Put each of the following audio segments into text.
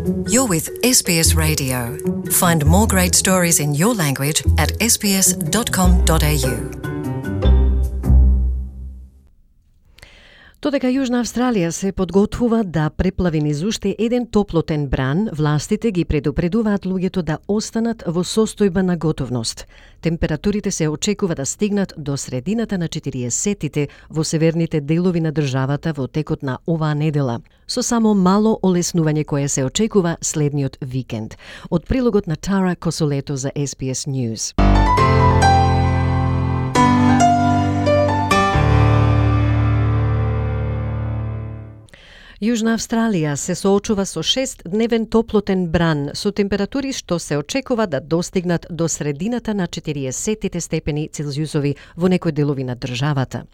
You're with SBS Radio. Find more great stories in your language at sbs.com.au. Додека Јужна Австралија се подготвува да преплави низ уште еден топлотен бран, властите ги предупредуваат луѓето да останат во состојба на готовност. Температурите се очекува да стигнат до средината на 40-тите во северните делови на државата во текот на оваа недела, со само мало олеснување кое се очекува следниот викенд. Од прилогот на Тара Косолето за SBS News. Јужна Австралија се соочува со 6-дневен топлотен бран со температури што се очекува да достигнат до средината на 40-тите степени Целзиусови во некои делови на државата.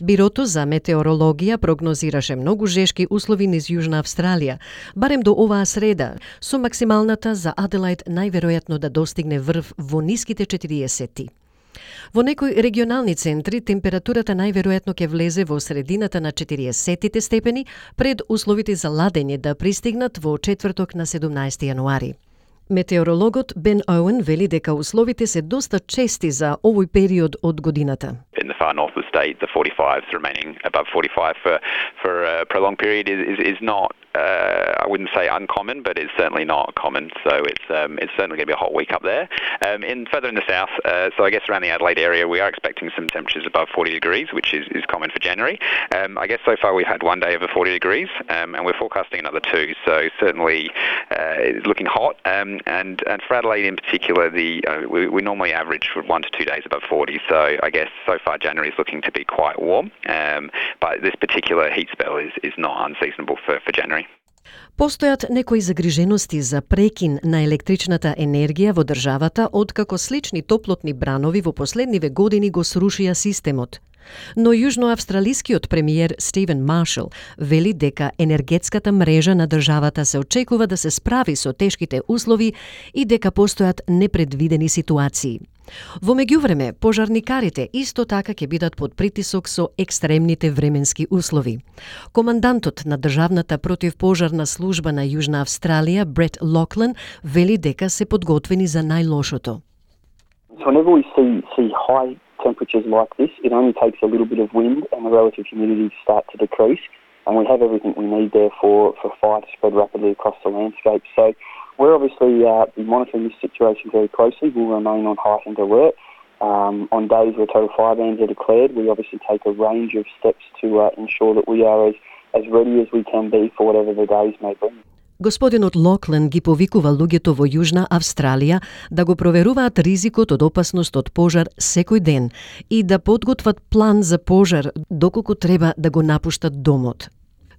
Бирото за метеорологија прогнозираше многу жешки услови низ Јужна Австралија, барем до оваа среда, со максималната за Аделаид најверојатно да достигне врв во ниските 40-ти. Во некои регионални центри температурата најверојатно ќе влезе во средината на 40-тите степени пред условите за ладење да пристигнат во четврток на 17 јануари. Метеорологот Бен Оуен вели дека условите се доста чести за овој период од годината. In the far north of the state, the 45s remaining above 45 for a prolonged period is not, I wouldn't say uncommon, but it's certainly not common. So it's certainly going to be a hot week up there. Further in the south, so I guess around the Adelaide area, we are expecting some temperatures above 40 degrees, which is common for January. I guess so far we've had one day over 40 degrees, and we're forecasting another two. So certainly it's looking hot. And for Adelaide in particular, we normally average for 1 to 2 days above 40. So I guess so far January is looking to be quite warm, but this particular heat spell is not unseasonable for January. Постојат некои загрижености за прекин на електричната енергија во државата откако слични топлотни бранови во последниве години го срушија системот. Но јужноавстралискиот премиер Стивен Маршал вели дека енергетската мрежа на државата се очекува да се справи со тешките услови и дека постојат непредвидени ситуации. Во меѓувреме, пожарникарите исто така ќе бидат под притисок со екстремните временски услови. Командантот на државната противпожарна служба на Јужна Австралија, Брет Локлен, вели дека се подготвени за најлошото. Whenever we see high temperatures like this, it only takes a little bit of wind and the relative humidity to start to decrease, and we have everything we need there for fire to spread rapidly across the landscape. So we're obviously monitoring this situation very closely. We'll remain on heightened alert. On days where total fire bans are declared, we obviously take a range of steps to ensure that we are as ready as we can be for whatever the days may bring. Господинот Локлен ги повикува луѓето во Јужна Австралија да го проверуваат ризикот од опасност од пожар секој ден и да подготват план за пожар доколку треба да го напуштат домот.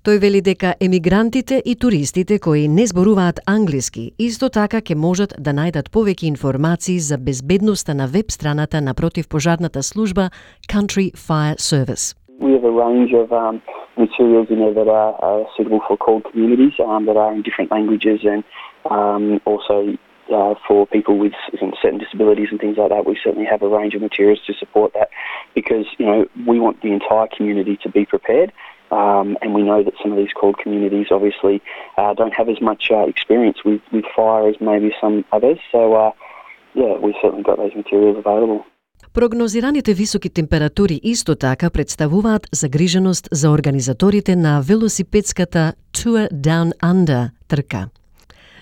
Тој вели дека емигрантите и туристите кои не зборуваат англиски исто така ќе можат да најдат повеќе информации за безбедноста на веб страната на противпожарната служба Country Fire Service. We have a range of materials in there that are suitable for cold communities that are in different languages and also for people with certain disabilities and things like that. We certainly have a range of materials to support that because, we want the entire community to be prepared. And we know that some of these cold communities obviously don't have as much experience with fire as maybe some others. So, we've certainly got those materials available. Прогнозираните високи температури исто така представуваат загриженост за организаторите на велосипедската Tour Down Under трка.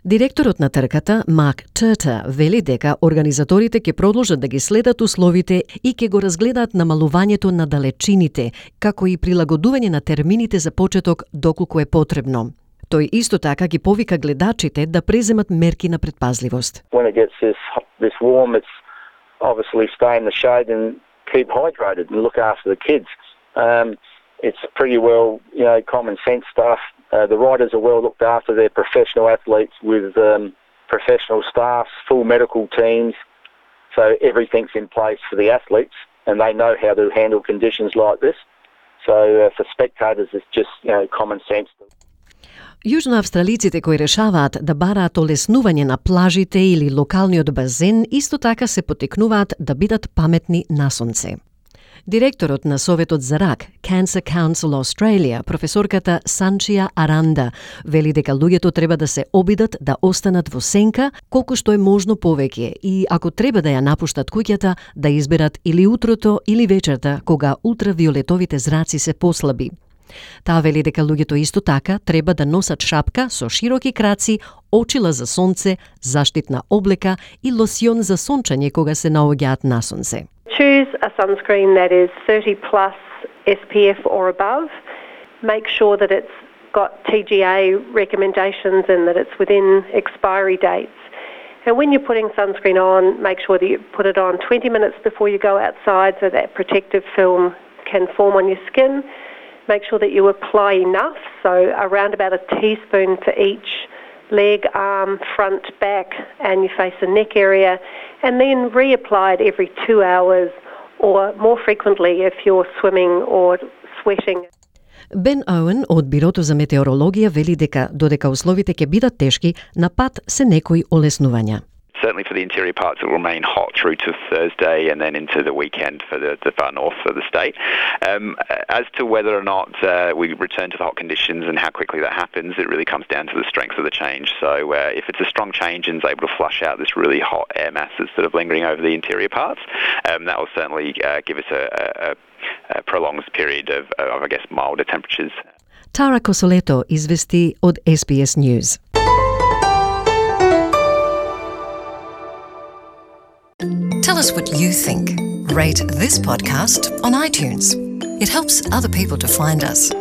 Директорот на трката, Марк Турта, вели дека организаторите ќе продолжат да ги следат условите и ќе го разгледаат намалувањето на далечините, како и прилагодување на термините за почеток доколку е потребно. Тој исто така ги повика гледачите да преземат мерки на предпазливост. When it gets this warm, it's obviously stay in the shade and keep hydrated and look after the kids. It's pretty well, common sense stuff. The riders are well looked after. They're professional athletes with professional staffs, full medical teams. So everything's in place for the athletes and they know how to handle conditions like this. So for spectators, it's just, common sense. Јужноавстралиците кои решаваат да бараат олеснување на плажите или локалниот базен исто така се потикнуваат да бидат паметни на сонце. Директорот на Советот за рак, Cancer Council Australia, професорката Санчија Аранда, вели дека луѓето треба да се обидат да останат во сенка колку што е можно повеќе и ако треба да ја напуштат куќата, да изберат или утрото или вечерта кога ултравиолетовите зраци се послаби. Таа вели дека луѓето исто така треба да носат шапка со широки краци, очила за сонце, заштитна облека и лосјон за сончање кога се наоѓаат на сонце. Choose a sunscreen that is 30 plus SPF or above. Make sure that it's got TGA recommendations and that it's within expiry dates. And when you're putting sunscreen on, make sure that you put it on 20 minutes before you go outside so that protective film can form on your skin. Make sure that you apply enough, so around about a teaspoon to each leg, arm, front, back, and your face and neck area, and then reapply it every 2 hours or more frequently if you're swimming or sweating. Бен Оуен од Бирото за метеорологија вели дека додека условите ќе бидат тешки, на пат се некои олеснувања. Certainly for the interior parts, it will remain hot through to Thursday and then into the weekend for the far north of the state. As to whether or not we return to the hot conditions and how quickly that happens, it really comes down to the strength of the change. So if it's a strong change and is able to flush out this really hot air mass that's sort of lingering over the interior parts, that will certainly give us a prolonged period of, I guess, milder temperatures. Tara Cosoleto извести од SBS News. Tell us what you think. Rate this podcast on iTunes. It helps other people to find us.